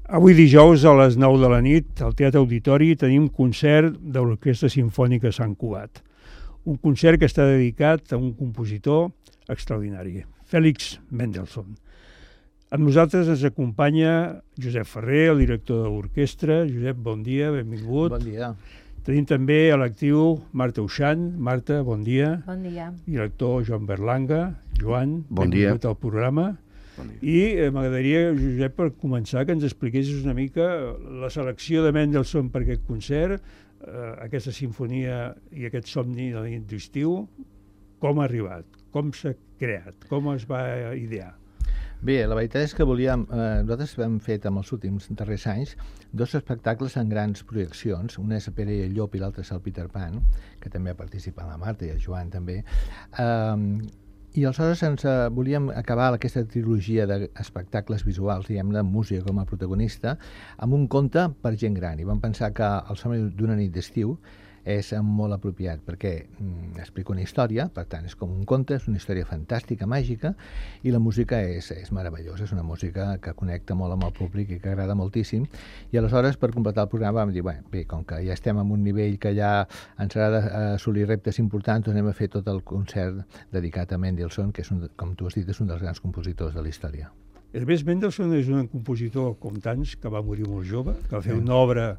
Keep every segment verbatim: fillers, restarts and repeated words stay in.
Avui dijous a les nou de la nit al Teatre Auditori tenim concert de l'Orquestra Simfònica Sant Cugat. Un concert que està dedicat a un compositor extraordinari, Félix Mendelssohn. Amb nosaltres ens acompanya Josep Ferrer, el director de l'orquestra. Josep, bon dia, benvingut. Bon dia. Tenim també a l'actiu Marta Uixant. Marta, bon dia. Bon dia. I l'actor Joan Berlanga. Joan, bon dia. Benvingut al programa. Bon dia. I eh, m'agradaria, Josep, per començar, que ens expliquessis una mica la selecció de Mendelssohn per aquest concert, eh, aquesta sinfonia i aquest somni de la nit d'estiu, com ha arribat, com s'ha creat, com es va idear. Bé, la veritat és que volíem, eh, nosaltres hem fet en els últims darrers anys dos espectacles en grans projeccions, un és Pere i el Llop i l'altre és el Peter Pan, que també ha participat la Marta i el Joan també, eh, i aleshores ens eh, volíem acabar aquesta trilogia d'espectacles visuals, diguem-ne, amb música com a protagonista, amb un conte per gent gran, i vam pensar que El somni d'una nit d'estiu és molt apropiat perquè mm, explica una història, per tant és com un conte, és una història fantàstica, màgica, i la música és, és meravellosa, és una música que connecta molt amb el públic i que agrada moltíssim, i aleshores per completar el programa vam dir, bé, bé com que ja estem en un nivell que ja ens agrada assolir reptes importants, doncs anem a fer tot el concert dedicat a Mendelssohn, que és un, com tu has dit, és un dels grans compositors de la història. A més, Mendelssohn és un compositor com tants, que va morir molt jove, que va fer una obra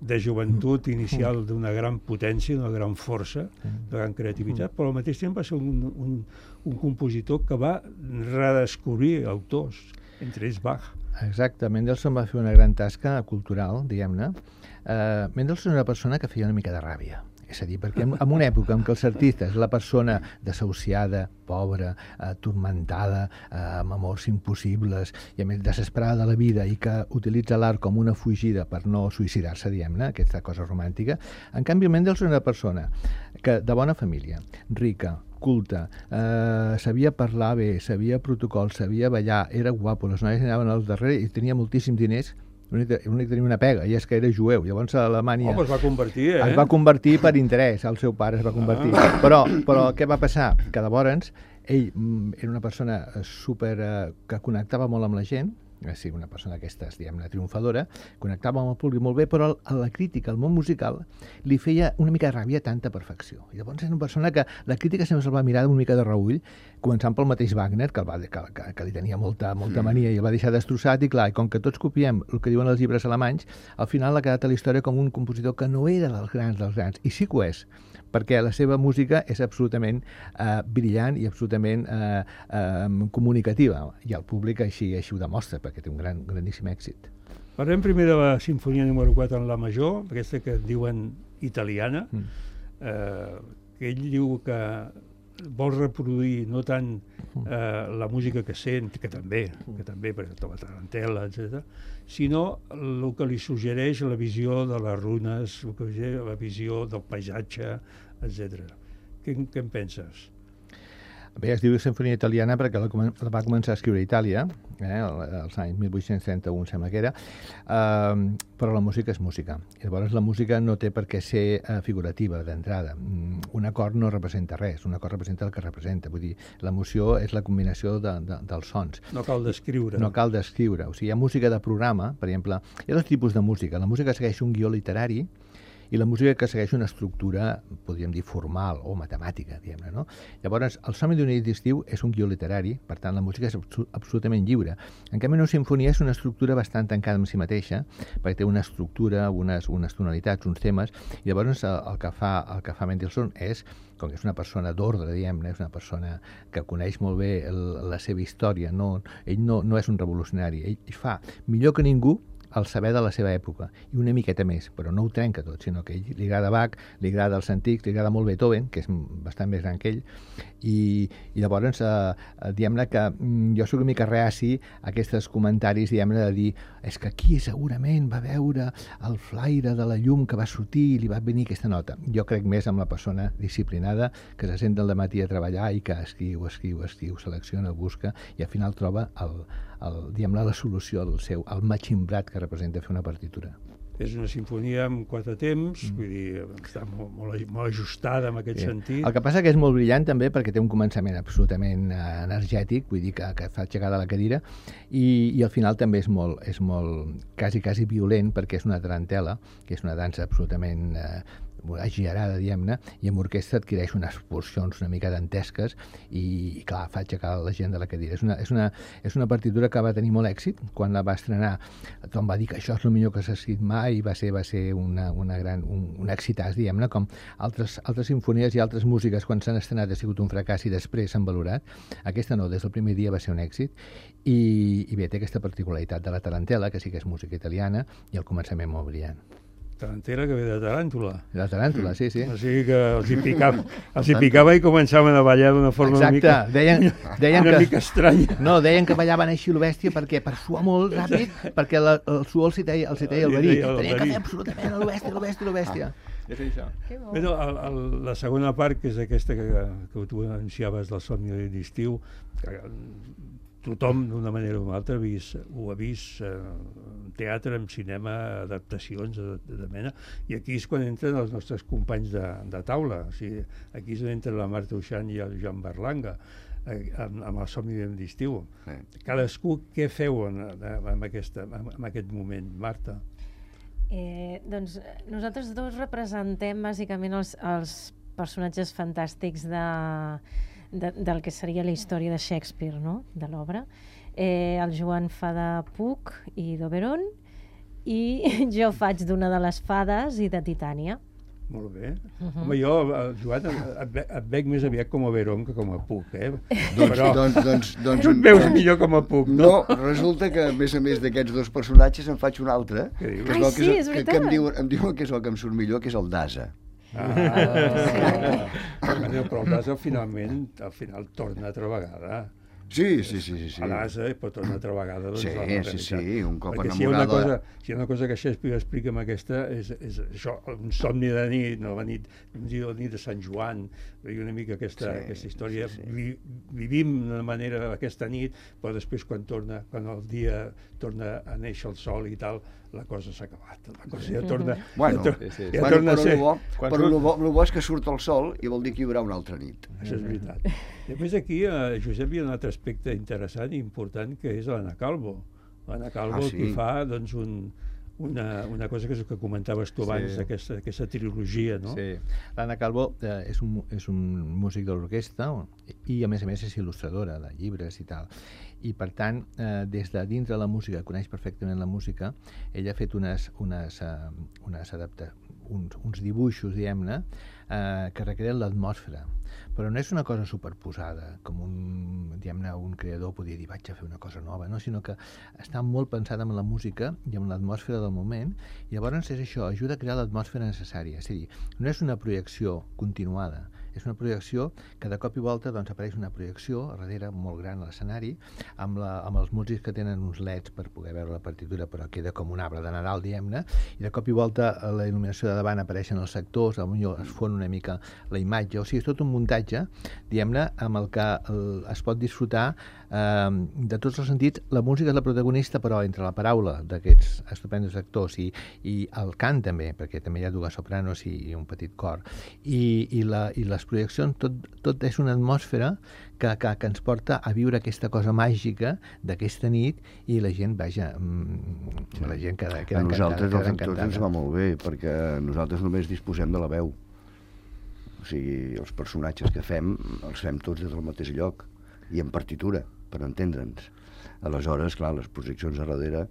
de joventut inicial d'una gran potència, d'una gran força, de gran creativitat, però al mateix temps va ser un, un, un compositor que va redescobrir autors, entre ells Bach. Exacte, Mendelssohn va fer una gran tasca cultural, diguem-ne. Uh, Mendelssohn era una persona que feia una mica de ràbia. És a dir, perquè en, en una època en què els artistes, la persona desahuciada, pobra, eh, turmentada, eh, amb amors impossibles, i a més desesperada de la vida i que utilitza l'art com una fugida per no suïcidar-se, diguem-ne, aquesta cosa romàntica, en canvi Mendelssohn era una persona que, de bona família, rica, culta, eh, sabia parlar bé, sabia protocol, sabia ballar, era guapo, les noies anaven al darrere i tenia moltíssims diners. L'únic que tenia una pega, i és que era jueu. Llavors a Alemanya... Oh, però es va convertir, eh? Es va convertir per interès, el seu pare es va convertir. Ah. Però, però què va passar? Que llavors ell mm, era una persona super... Eh, que connectava molt amb la gent, sí, una persona d'aquestes, diguem-ne, triomfadora, connectava amb el públic molt bé, però a la crítica, al món musical, li feia una mica de ràbia tanta perfecció. I llavors és una persona que la crítica sempre se'l va mirar una mica de reull, començant pel mateix Wagner, que, el va, que, que, que li tenia molta, molta mania i el va deixar destrossat, i clar, i com que tots copiem el que diuen els llibres alemanys, al final ha quedat a la història com un compositor que no era dels grans dels grans, i sí que ho és, perquè la seva música és absolutament eh, brillant i absolutament eh, eh, comunicativa, i el públic així, així ho demostra, perquè té un gran, grandíssim èxit. Parlem primer de la sinfonia número quatre en la major, aquesta que diuen italiana, mm. eh, que ell diu que vol reproduir no tant eh, la música que sent, que també, que també per exemple, la tarantela, etcètera, sinó el que li suggereix la visió de les runes, el que suggereix la visió del paisatge, etcètera. Què, què en penses? Bé, es diu Sinfonia Italiana perquè la, la va començar a escriure a Itàlia, eh, als anys mil vuit-cents trenta-u, sembla que era, eh, però la música és música. I llavors la música no té per què ser eh, figurativa d'entrada. Un acord no representa res, un acord representa el que representa. Vull dir, l'emoció és la combinació de, de, dels sons. No cal descriure. No cal descriure. O sigui, hi ha música de programa, per exemple, hi ha dos tipus de música. La música segueix un guió literari, i la música que segueix una estructura, podríem dir, formal o matemàtica, diguem-ne, no? Llavors, El somni d'una nit d'estiu és un guió literari, per tant, la música és absolutament lliure. En canvi, una sinfonia és una estructura bastant tancada en si mateixa, perquè té una estructura, unes, unes tonalitats, uns temes, i llavors el que fa, el que fa Mendelssohn és, com que és una persona d'ordre, diguem-ne, és una persona que coneix molt bé el, la seva història, no, ell no, no és un revolucionari, ell fa millor que ningú el saber de la seva època, i una miqueta més, però no ho trenca tot, sinó que ell li agrada Bach, li agrada els antics, li agrada molt Beethoven, que és bastant més gran que ell, i, i llavors, eh, diguem-ne que jo soc una mica reaci a aquests comentaris, diguem-ne, de dir, és que aquí segurament va veure el flaire de la llum que va sortir i li va venir aquesta nota. Jo crec més amb la persona disciplinada, que se sent al matí a treballar i que escriu, escriu, escriu, selecciona, busca, i al final troba el, el, diguem-ne, la solució al seu, al matximbrat que representa fer una partitura. és una sinfonia amb quatre temps, mm. vull dir, està molt, molt, molt ajustada en aquest sí. sentit. El que passa que és molt brillant també perquè té un començament absolutament uh, energètic, vull dir que, que fa aixecar de la cadira, i, i al final també és molt, és molt quasi, quasi violent perquè és una tarantela, que és una dansa absolutament uh, exagerada, diguem-ne, i amb orquestra adquireix unes porcions una mica dantesques i, i clar, fa aixecar la gent de la cadira. És una, és, una, és una partitura que va tenir molt èxit. Quan la va estrenar, tothom va dir que això és el millor que s'ha escrit mai i va ser, va ser una, una gran, un, un excitàs, diguem-ne, com altres, altres sinfonies i altres músiques quan s'han estrenat ha sigut un fracàs i després s'han valorat. Aquesta no, des del primer dia va ser un èxit i, i bé, té aquesta particularitat de la tarantela, que sí que és música italiana, i el començament molt brillant. Tarantela que ve de taràntula. De taràntula, sí, sí. O sigui que els hi picava, els hi picava i començaven a ballar d'una forma Exacte. una mica, deien, deien una que, mica estranya. No, deien que ballaven així lo bèstia perquè per suar molt ràpid, perquè la, el suor els hi deia, els hi deia el verí. Tenien que fer absolutament lo bèstia, lo bèstia, lo bèstia. És això. Bueno, el, el, la segona part, que és aquesta que, que tu anunciaves del somni d'estiu, que tothom d'una manera o una altra ha vist, ho ha vist eh, en teatre, en cinema, adaptacions de, de, de mena, i aquí és quan entren els nostres companys de, de taula. O sigui, aquí és on entra la Marta Uixant i el Joan Berlanga eh, amb, amb el somni d'estiu. Sí. Cadascú, què feu en, en, aquesta, en aquest moment, Marta? Eh, doncs nosaltres dos representem bàsicament els, els personatges fantàstics de De, del que seria la història de Shakespeare, no? De l'obra. Eh, el Joan fa de Puck i d'Oberon i jo faig d'una de les fades i de Titània. Molt bé. Uh -huh. Home, jo, Joan, et, et veig més aviat com a Oberon que com a Puck, eh? Doncs, Però doncs, doncs, doncs, et veus millor com a Puck, no? No, resulta que a més a més d'aquests dos personatges en faig un altre. Que dius? Ai, sí, és veritat. Que, que em, diuen, em diuen que és el que em surt millor, que és el d'Asa. Ah, sí. Però el d'Asa finalment, al final torna altra vegada. Sí, sí, sí, sí, sí. A l'Asa, però torna altra vegada. Doncs, sí, la realitat. sí, sí, un cop Perquè enamorada. si hi ha una cosa, si hi ha una cosa que Shakespeare explica amb aquesta, és, és això, un somni de nit, no, la nit, la nit de Sant Joan, una mica aquesta, sí, aquesta història. Sí, sí. Vi, vivim d'una manera aquesta nit, però després quan torna, quan el dia torna a néixer el sol i tal, la cosa s'ha acabat. La cosa ja torna, bueno, ja, to, sí, sí. ja bueno, torna a ser... Bo, però el bo, bo és que surt el sol i vol dir que hi haurà una altra nit. Això és veritat. Després aquí, eh, Josep, hi ha un altre aspecte interessant i important, que és l'Anna Calvo. L'Anna Calvo, ah, sí. qui fa doncs, un, una, una cosa que és el que comentaves tu abans, sí. d'aquesta, aquesta trilogia, no? Sí. L'Anna Calvo eh, és, un, és un músic de l'orquestra i, a més a més, és il·lustradora de llibres i tal. I, per tant, eh, des de dins de la música, coneix perfectament la música, ella ha fet unes, unes, uh, unes adapta, uns, uns dibuixos, diguem-ne, eh, que recreen l'atmosfera. Però no és una cosa superposada, com un, diguem-ne, un creador podria dir vaig a fer una cosa nova, no? Sinó que està molt pensada en la música i en l'atmosfera del moment, i llavors és això, ajuda a crear l'atmosfera necessària. És a dir, no és una projecció continuada, és una projecció que de cop i volta doncs, apareix una projecció a darrere molt gran a l'escenari, amb, la, amb els músics que tenen uns leds per poder veure la partitura, però queda com un arbre de Nadal, diguem-ne, i de cop i volta a la il·luminació de davant apareixen els sectors, potser es fon una mica la imatge, o sigui, és tot un muntatge, diguem-ne, amb el que el, es pot disfrutar eh, de tots els sentits. La música és la protagonista, però entre la paraula d'aquests estupendos actors i, i el cant també, perquè també hi ha dues sopranos i, i un petit cor, i, i, la, i les projeccions, tot, tot és una atmosfera que, que, que ens porta a viure aquesta cosa màgica d'aquesta nit, i la gent, vaja, mm, la gent queda, queda a nosaltres encantada, els actors ens va molt bé, perquè nosaltres només disposem de la veu. O sigui, els personatges que fem els fem tots des del mateix lloc i en partitura, per entendre'ns. Aleshores, clar, les projeccions a darrere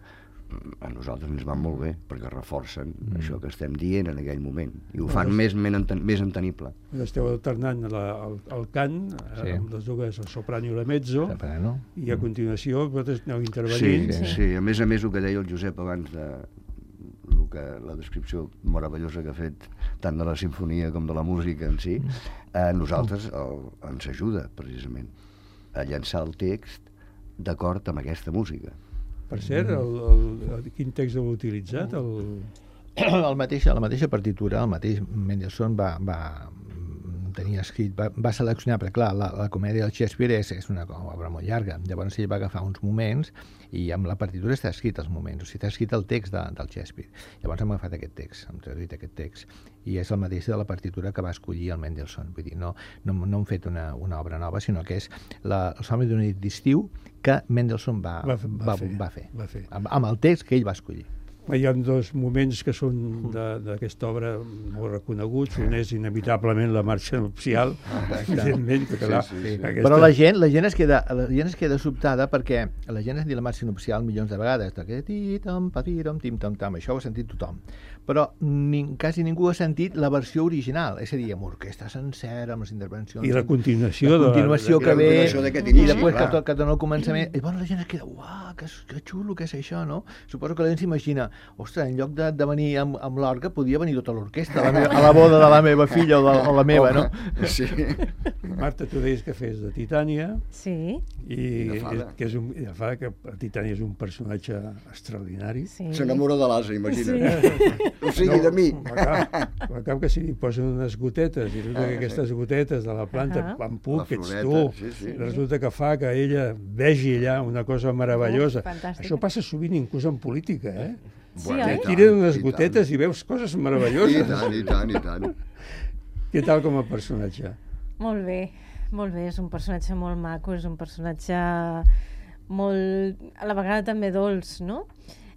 a nosaltres ens van molt bé, perquè reforcen mm. això que estem dient en aquell moment, i ho fan més, més entenible. Esteu alternant la, el, el cant, sí. eh, amb les dues, el soprano i la mezzo, soprano. I a continuació vosaltres aneu intervenint. Sí, sí, sí, a més a més el que deia el Josep abans de el que, la descripció meravellosa que ha fet tant de la sinfonia com de la música en si, a nosaltres el, ens ajuda precisament a llançar el text d'acord amb aquesta música. Per cert, el, el, el, quin text heu utilitzat? El... El mateix, la mateixa partitura, el mateix Mendelssohn va, va tenia escrit, va, va seleccionar, perquè clar, la, la comèdia del Shakespeare és, és una obra molt llarga, llavors ell va agafar uns moments i amb la partitura està escrit els moments, o sigui, està escrit el text de, del Shakespeare. Llavors hem agafat aquest text, hem traduït aquest text, i és el mateix de la partitura que va escollir el Mendelssohn. Vull dir, no, no, no hem fet una, una obra nova, sinó que és la, el somni d'una nit d'estiu que Mendelssohn va, va, va, va, fer, va fer, va fer. Amb, amb el text que ell va escollir. Hi ha dos moments que són d'aquesta obra molt reconeguts. Un és inevitablement la marxa nupcial, evidentment, que clar, sí, sí, sí. Aquesta... Però la gent, la gent es queda, la gent es queda sobtada perquè la gent es diu la marxa nupcial milions de vegades, tim tam tam, això ho ha sentit tothom. Però ni, quasi ningú ha sentit la versió original, és a dir, amb orquestra sencera, amb les intervencions... I la continuació, la continuació de, que ve, inici, i després clar. que, que dona el començament, i bueno, la gent es queda, uah, que, que xulo que és això, no? Suposo que la gent s'imagina, ostres, en lloc de, de venir amb, amb l'orga, podia venir tota l'orquestra a, la a la boda de la meva filla o de o la meva, no? Sí. Marta, tu deies que fes de Titània. Sí. I, I és, que és un, i de Fada, que Titània és un personatge extraordinari. Sí. S'enamora de l'asa, imagina't. Sí. O sigui, no, de mi. Al cap que si li posen unes gotetes, i resulta Ah, que aquestes sí. gotetes de la planta, Ah. quan puc, La que ets floreta, tu, sí, sí. resulta que fa que ella vegi allà una cosa meravellosa. Oh, fantàstica. Això passa sovint inclús en política, eh? Sí, Bueno, oi? i tant, Tiren unes i gotetes tant. i veus coses I meravelloses. tant, i tant, i tant. Què tal com a personatge? Molt bé, molt bé. És un personatge molt maco, és un personatge molt... a la vegada també dolç, no?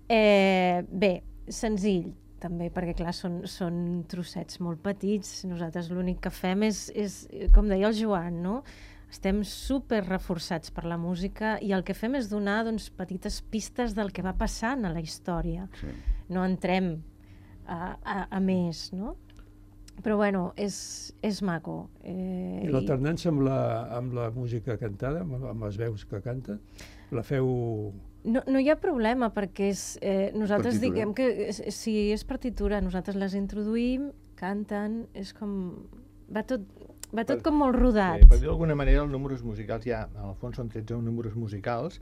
Eh, bé, senzill, també, perquè clar, són, són trossets molt petits. Nosaltres l'únic que fem és, és, com deia el Joan, no? Estem super reforçats per la música i el que fem és donar doncs, petites pistes del que va passant a la història. Sí. No entrem a, a, a més, no? Però bueno, és, és maco. Eh, I l'alternança amb, la, amb la música cantada, amb, amb les veus que canten, la feu... No, no hi ha problema, perquè és, eh, nosaltres Partitura. diguem que és, és, si és partitura, nosaltres les introduïm, canten, és com... Va tot, va tot Per- com molt rodat. Sí, per dir d'alguna manera, els números musicals ja, en el fons són tretze números musicals,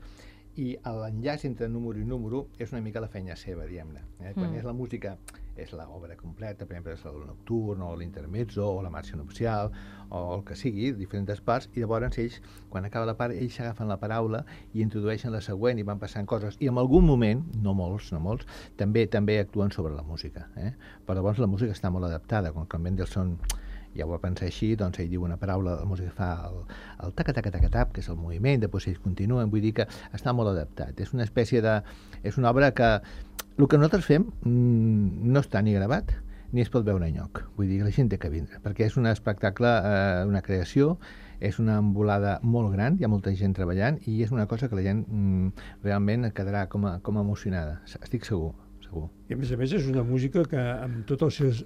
i l'enllaç entre número i número és una mica la feina seva, diguem-ne. Eh? Quan Mm. és la música, és l'obra completa, per exemple, és el nocturn, o l'intermezzo, o la marxa nupcial, o el que sigui, diferents parts, i llavors ells, quan acaba la part, ells s'agafen la paraula i introdueixen la següent i van passant coses. I en algun moment, no molts, no molts, també també actuen sobre la música. Eh? Però llavors la música està molt adaptada, com que el Mendelssohn ja ho va pensar així, doncs ell diu una paraula, la música fa el, el taca-taca-taca-tap, que és el moviment, després ells continuen, vull dir que està molt adaptat. És una espècie de... és una obra que... el que nosaltres fem mmm, no està ni gravat ni es pot veure enlloc. Vull dir que la gent té que vindre, perquè és un espectacle, eh, una creació, és una embolada molt gran, hi ha molta gent treballant, i és una cosa que la gent mm, realment quedarà com a, com a emocionada, estic segur, segur. I a més a més és una música que amb tots els seus...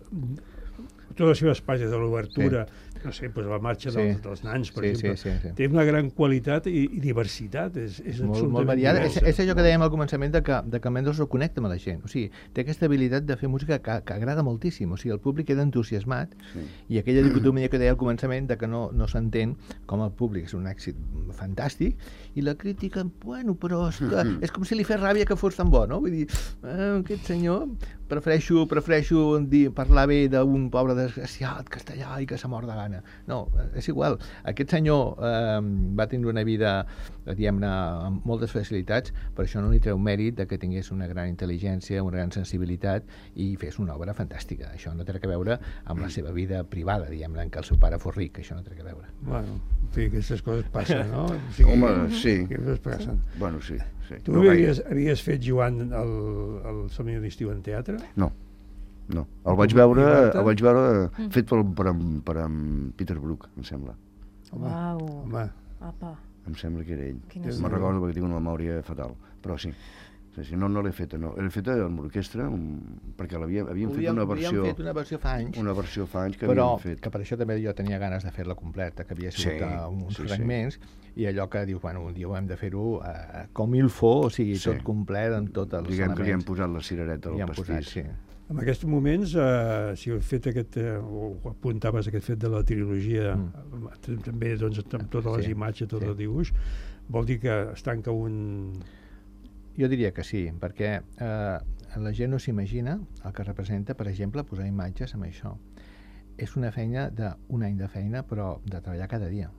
totes les seves pàgines de l'obertura, sí. no sé, doncs la marxa Sí. dels, dels nans, per Sí, exemple, sí, sí, sí. té una gran qualitat i, i diversitat, és, és molt, absolutament molt variada. És, diversa. és allò que dèiem al començament de que, de que Mendelssohn connecta amb la gent. O sigui, té aquesta habilitat de fer música que, que agrada moltíssim. O sigui, el públic queda entusiasmat Sí. i aquella dicotomia que deia al començament de que no, no s'entén com el públic és un èxit fantàstic i la crítica, bueno, però és, que, és com si li fes ràbia que fos tan bo, no? Vull dir, eh, aquest senyor, prefereixo, prefereixo dir, parlar bé d'un pobre desgraciat que està allà i que s'ha mort de gana. No, és igual. Aquest senyor eh, va tenir una vida, diguem-ne, amb moltes facilitats, però això no li treu mèrit de que tingués una gran intel·ligència, una gran sensibilitat i fes una obra fantàstica. Això no té res a veure amb la seva vida privada, diguem-ne, en què el seu pare fos ric, això no té res a veure. Bueno, en fi, aquestes coses passen, no? O sigui, Home, sí. Aquestes coses passen. Bueno, sí. sí. Tu No havies, havies fet, Joan, el, el Somni d'estiu en teatre? No, no. El vaig veure, I Marta? el vaig veure Mm. fet per, per, per en Peter Brook, em sembla. Home, Uau. home, Apa, Em sembla que era ell. quina Déu Me'n n'hi do. recordo perquè tinc una memòria fatal, però sí. Sí, sí, no, no l'he feta, no. L'he feta amb l'orquestra, un... perquè l'havíem havíem fet una versió... Havíem fet una versió fa anys, Una versió fa anys que però havíem fet. que per això també jo tenia ganes de fer-la completa, que havia sigut Sí, a uns sí, sí. fragments, i allò que dius, bueno, un dia ho hem de fer-ho eh, com il faut, o sigui, Sí. tot complet, amb tots els Diguem que li hem elements. posat la cirereta Li al hem posat, pastís. sí. en aquests moments, eh, si heu fet aquest, eh, o apuntaves aquest fet de la trilogia, Mm. mm. també doncs, amb totes les Sí, imatges, tot sí. el dibuix, vol dir que es tanca un... Jo diria que sí, perquè eh, la gent no s'imagina el que representa, per exemple, posar imatges amb això. és una feina d'un any de feina, però de treballar cada dia.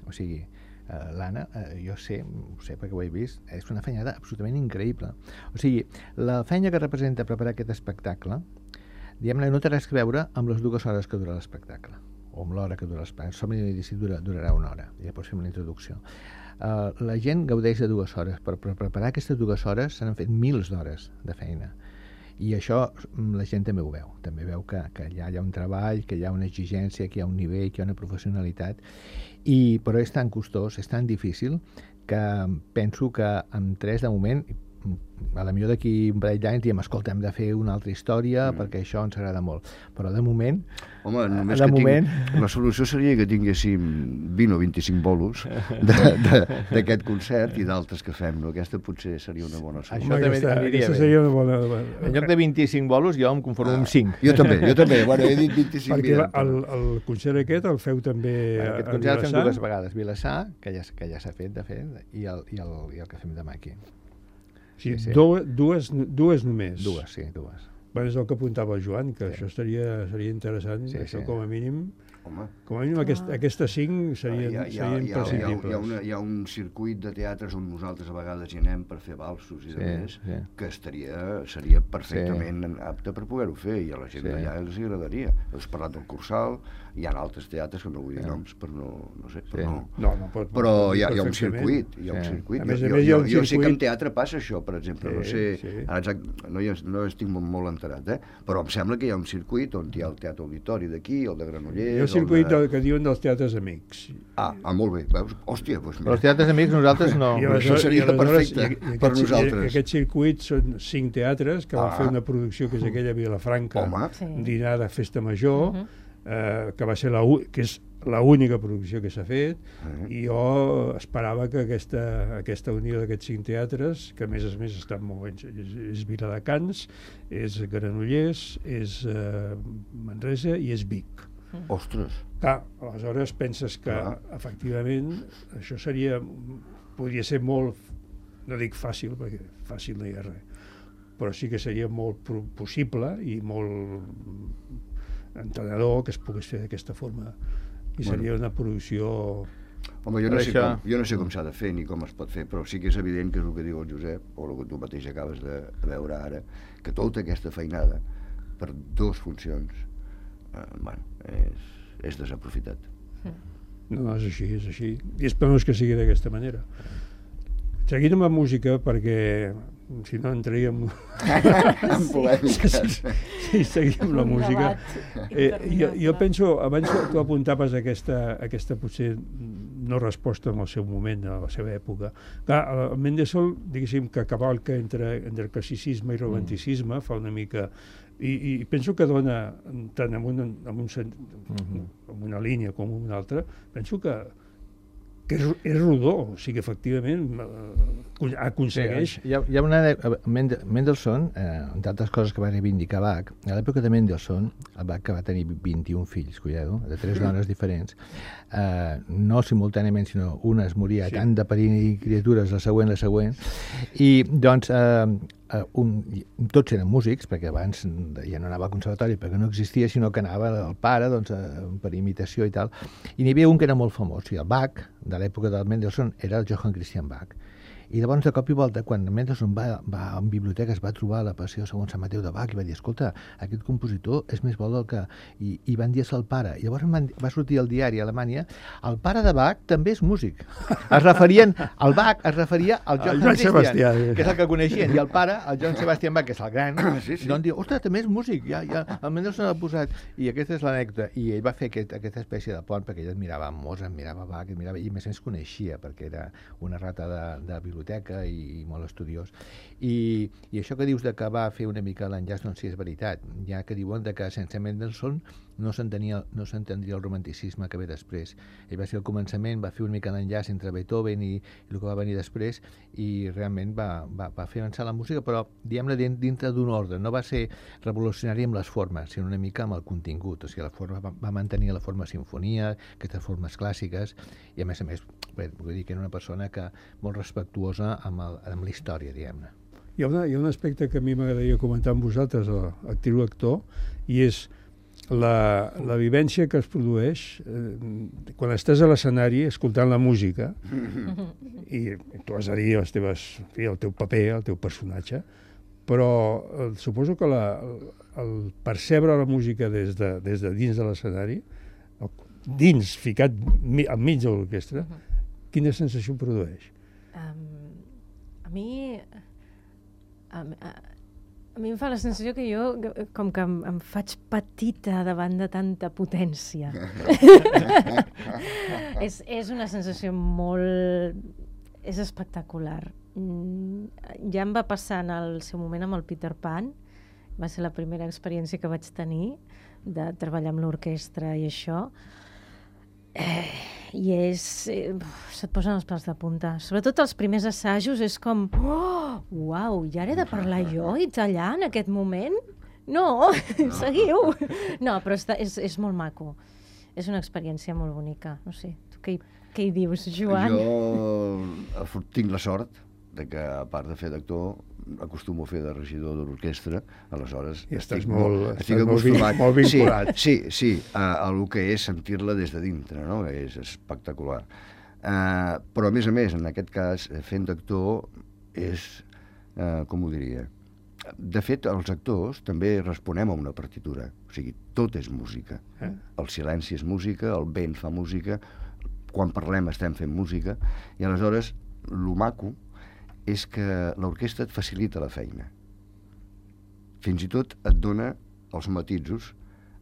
O sigui, eh, l'Anna, eh, jo sé, ho sé perquè ho he vist, és una feinada absolutament increïble. O sigui, la feina que representa preparar aquest espectacle, diguem-ne, no té res a veure amb les dues hores que dura l'espectacle, o amb l'hora que dura l'espectacle. Som i dici dura, durarà una hora, i llavors fem la introducció. Uh, la gent gaudeix de dues hores, però per preparar aquestes dues hores s'han fet mils d'hores de feina. I això la gent també ho veu, també veu que, que allà hi ha un treball, que hi ha una exigència, que hi ha un nivell, que hi ha una professionalitat, i, però és tan costós, és tan difícil, que penso que amb tres de moment, a la millor d'aquí un parell d'anys diem, escolta, hem de fer una altra història mm. perquè això ens agrada molt, però de moment Home, només de que moment... tinc... la solució seria que tinguéssim vint o vint-i-cinc bolos d'aquest concert i d'altres que fem, no? Aquesta potser seria una bona solució. Això també aquesta, aniria aquesta bé. seria una bona... En lloc de vint-i-cinc bolos jo em conformo amb cinc. Jo també, jo també, bueno, he dit vint-i-cinc. Perquè mira, el, el concert aquest el feu també Bueno, aquest a concert el fem Vilassar. dues vegades, Vilassar, que ja, que ja s'ha fet, de fet, i el, i, el, i el que fem demà aquí. Sí, Sí, sí. Dues, dues, dues només. Dues, sí, dues. Bueno, és el que apuntava el Joan, que Sí. això estaria, seria interessant, Sí, això sí. com a mínim. Home, Com a mínim aquest, aquestes cinc serien, hi ha, hi, ha, serien hi, ha, hi, ha, imprescindibles. hi, ha una, hi ha un circuit de teatres on nosaltres a vegades hi anem per fer valsos i Sí, de més, sí. que estaria, seria perfectament sí. apte per poder-ho fer, i a la gent Sí. d'allà els agradaria. Has parlat del Cursal, hi ha altres teatres que no vull dir Sí. noms, per no, no sé, per Sí. no... No, no pot, Però pot dir hi ha, hi ha un perfectament. circuit, hi ha un Sí. circuit. A més a jo, més, hi ha jo, un jo sé que circuit- en teatre passa això, per exemple, Sí, no sé, sí. ara exact, no, hi, no estic molt, molt enterat, eh? Però em sembla que hi ha un circuit on hi ha el Teatre Auditori d'aquí, el de Granollers... Hi ha el circuit el de... de, que diuen dels teatres amics. Ah, ah, molt bé, veus? Hòstia, doncs Però els mira. teatres amics nosaltres no. I això aleshores- seria i aleshores- perfecte i- i per aquest- nosaltres. I aquest circuit són cinc teatres que van Ah. fer una producció que és aquella a Vilafranca, Home, Sí. dinar de festa major, Mhm. eh, que va ser la, u- que és l'única producció que s'ha fet, eh? i jo esperava que aquesta, aquesta unió d'aquests cinc teatres, que a més a més estan molt ben, és, és Viladecans, és Granollers, és eh, Manresa i és Vic. Ostres, Clar, aleshores penses que Clar. efectivament això seria, podria ser molt, no dic fàcil, perquè fàcil no hi ha res, però sí que seria molt pro- possible i molt entenedor que es pogués fer d'aquesta forma, i Bueno. seria una producció... home, jo no, Per sé això- com, jo no sé com s'ha de fer ni com es pot fer, però sí que és evident que és el que diu el Josep, o el que tu mateix acabes de veure ara, que tota aquesta feinada per dues funcions, eh, bueno, és, és desaprofitat. No, no, és així, és així. I esperem que sigui d'aquesta manera. Seguint amb la música, perquè si no entraríem... En polèmiques. Sí, seguim amb la Un música. debat Eh, jo, jo interminable. penso, abans tu apuntaves aquesta, aquesta potser no resposta en el seu moment, a la seva època. Clar, el Mendelssohn, diguéssim, que cavalca entre, entre classicisme i romanticisme, mm. fa una mica... I, I penso que dona, tant en una, en un, sen- Mhm. en una línia com en una altra, penso que, que és, és rodó, o sigui, efectivament, eh, aconsegueix... Sí, hi, ha, hi ha una... Mendel, Mendelssohn, eh, d'altres coses que va reivindicar Bach, a l'època de Mendelssohn, el Bach, que va tenir vint-i-un fills, cuidado, de tres dones diferents, eh, no simultàniament, sinó una es moria Sí. sí. tant de parir criatures, la següent, la següent, i doncs eh, eh, un, tots eren músics, perquè abans ja no anava al conservatori perquè no existia, sinó que anava el pare doncs, eh, per imitació i tal, i n'hi havia un que era molt famós, i el Bach, de l'època del Mendelssohn, era el Johann Christian Bach. I llavors, de cop i volta, quan Mendelssohn va, va a una biblioteca, es va trobar la Passió segons Sant Mateu de Bach i va dir, escolta, aquest compositor és més bo del que... I, i van dir-se al pare. I llavors van, va sortir al diari a Alemanya, el pare de Bach també és músic. Es referien, el Bach es referia al Johann Johann Christian, Sebastià. que és el que coneixien, i el pare, el Johann Sebastian Bach, que és el gran, Sí, sí. doncs diu, ostres, també és músic, ja, ja, el Mendelssohn l'ha posat. I aquesta és l'anècdota. I ell va fer aquest, aquesta espècie de pont, perquè ell admirava Mozart, admirava Bach, admirava, i a més a més coneixia, perquè era una rata de, de biblioteca i i molt estudiós. I, I això que dius de que va fer una mica l'enllaç, doncs sí, és veritat. Ja que diuen de que sense Mendelssohn no s'entenia no s'entendria el romanticisme que ve després. Ell va ser al començament, va fer una mica l'enllaç entre Beethoven i, i el que va venir després, i realment va, va, va fer avançar la música, però diguem-ne dintre d'un ordre. No va ser revolucionari amb les formes, sinó una mica amb el contingut. O sigui, la forma, va, va mantenir la forma sinfonia, aquestes formes clàssiques, i a més a més, bé, vull dir que era una persona que molt respectuosa amb, el, amb la història, diguem-ne. Hi ha, una, hi ha un aspecte que a mi m'agradaria comentar amb vosaltres, actriu-actor, i és la, la vivència que es produeix eh, quan estàs a l'escenari escoltant la música i tu has de dir les teves, en fi, el teu paper, el teu personatge, però eh, suposo que la, el, el percebre la música des de, des de dins de l'escenari, dins, ficat mi, enmig de l'orquestra, quina sensació produeix? Um, a mi... A, a, A mi em fa la sensació que jo, com que em, em faig petita davant de tanta potència. és, és una sensació molt... És espectacular. Ja em va passar en el seu moment amb el Peter Pan, va ser la primera experiència que vaig tenir de treballar amb l'orquestra i això. Eh, I és... Eh, se't posen els pèls de punta. Sobretot els primers assajos és com... Oh, uau, ja he de parlar jo i allà en aquest moment? No, no. Seguiu. No, però està, és, és molt maco. És una experiència molt bonica. No sé, tu què, què hi dius, Joan? Jo tinc la sort de que, a part de fer d'actor, acostumo a fer de regidor de l'orquestra, aleshores I estic, molt, molt, estic estàs acostumat. Molt vinculat. Sí, sí, sí a, a el que és sentir-la des de dintre, no? És espectacular. Uh, però, a més a més, en aquest cas, fent d'actor és, uh, com ho diria, de fet, els actors també responem a una partitura, o sigui, tot és música. Eh? El silenci és música, el vent fa música, quan parlem estem fent música, i aleshores, lo maco és que l'orquestra et facilita la feina. Fins i tot et dona els matisos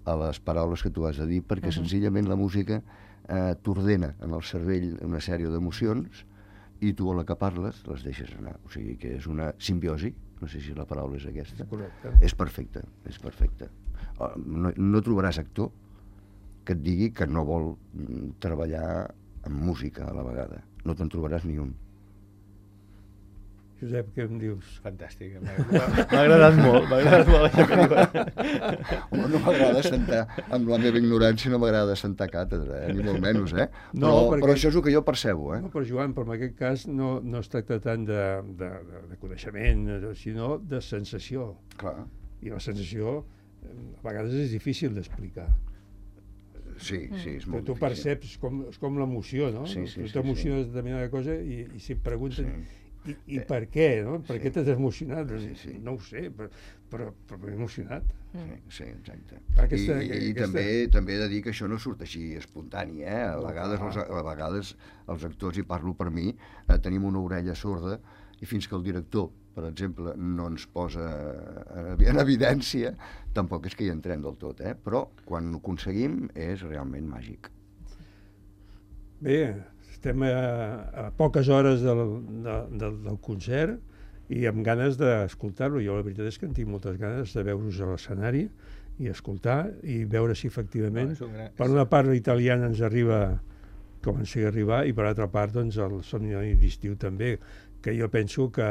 a les paraules que tu has de dir, perquè uh-huh. senzillament la música eh, t'ordena en el cervell una sèrie d'emocions i tu a la que parles les deixes anar. O sigui que és una simbiosi, no sé si la paraula és aquesta. Correcte. És perfecte, és perfecte. No, no trobaràs actor que et digui que no vol treballar amb música a la vegada. No te'n trobaràs ni un. Josep, què em dius? Fantàstic, m'ha agradat molt, m'ha agradat molt això que dius. Home, no m'agrada sentar, amb la meva ignorància no m'agrada sentar càtedra, eh? Ni molt menys, eh? No, però, perquè... però això és el que jo percebo, eh? No, però Joan, però en aquest cas no, no es tracta tant de, de, de coneixement, sinó de sensació. Clar. I la sensació a vegades és difícil d'explicar. Sí, sí, és molt però tu difícil. perceps com, com l'emoció, no? Sí, sí, tu sí, t'emociones sí. de determinada cosa i, i si et pregunten... Sí. I, i per què, no? Per Sí. què t'has emocionat? Sí, sí. No ho sé, però, però, però m'he emocionat. Sí, sí, exacte. Aquesta, I, i aquesta... també també he de dir que això no surt així espontani, eh? A vegades, els, a vegades els actors, i parlo per mi, eh, tenim una orella sorda i fins que el director, per exemple, no ens posa en evidència, tampoc és que hi entrem del tot, eh? Però quan ho aconseguim és realment màgic. Bé, estem a, a poques hores del, de, del, del concert i amb ganes d'escoltar-lo. Jo la veritat és que en tinc moltes ganes de veure-us a l'escenari i escoltar i veure si efectivament no, gran... per una part l'italiana ens arriba com ens sigui arribar i per altra part doncs, el somni d'estiu també, que jo penso que,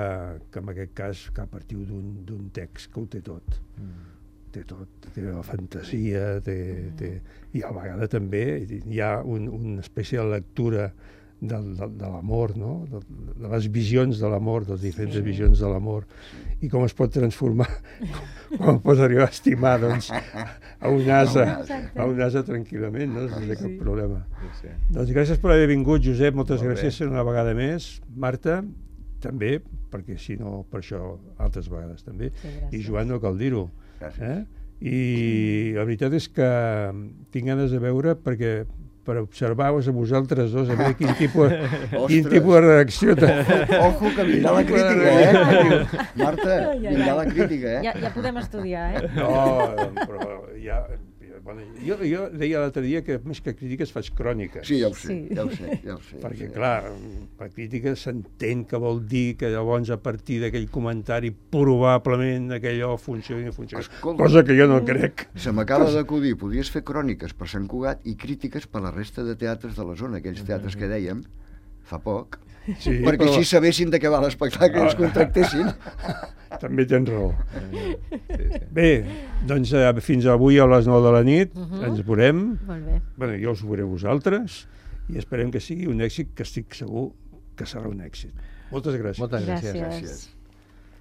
que en aquest cas que a partir d'un text que ho té tot. Mm. Té tot, té la fantasia, té, mm. té... i a vegades també hi ha un, una espècie de lectura del, del, de l'amor, no? de, de les visions de l'amor, de les diferents sí. visions de l'amor, i com es pot transformar, com pot arribar a estimar doncs, a un ase, a un ase tranquil·lament, no? sense sí. cap problema. Sí, sí. Doncs gràcies per haver vingut, Josep, moltes Molt gràcies bé. Una vegada més. Marta, també, perquè si no, per això altres vegades també, sí, i Joan no cal dir-ho. Eh? I la veritat és que tinc ganes de veure perquè per observar-vos a vosaltres dos a veure quin tipus, quin tipus de reacció ojo que vindrà la crítica, eh? Marta, vindrà la crítica, eh? Ja, ja podem estudiar, eh? No, però ja... Bueno, jo, jo deia l'altre dia que més que crítiques faig cròniques. Sí, ja ho sé, sí. ja ho sé, ja ho sé. Perquè, ja sé. clar, la crítica s'entén que vol dir que llavors a partir d'aquell comentari probablement aquellò funciona i funciona. Escolta, cosa que jo no crec. Se m'acaba d'acudir, podies fer cròniques per Sant Cugat i crítiques per la resta de teatres de la zona, aquells teatres que dèiem fa poc, sí, perquè però... així sabessin de què va l'espectacle i ens contractessin. També tens raó. Sí, sí. Bé, doncs eh, fins avui a les nou de la nit uh-huh. ens veurem. Molt bé. Bueno, jo us veuré vosaltres i esperem que sigui un èxit que estic segur que serà un èxit. Moltes gràcies. Moltes gràcies. Gràcies. gràcies.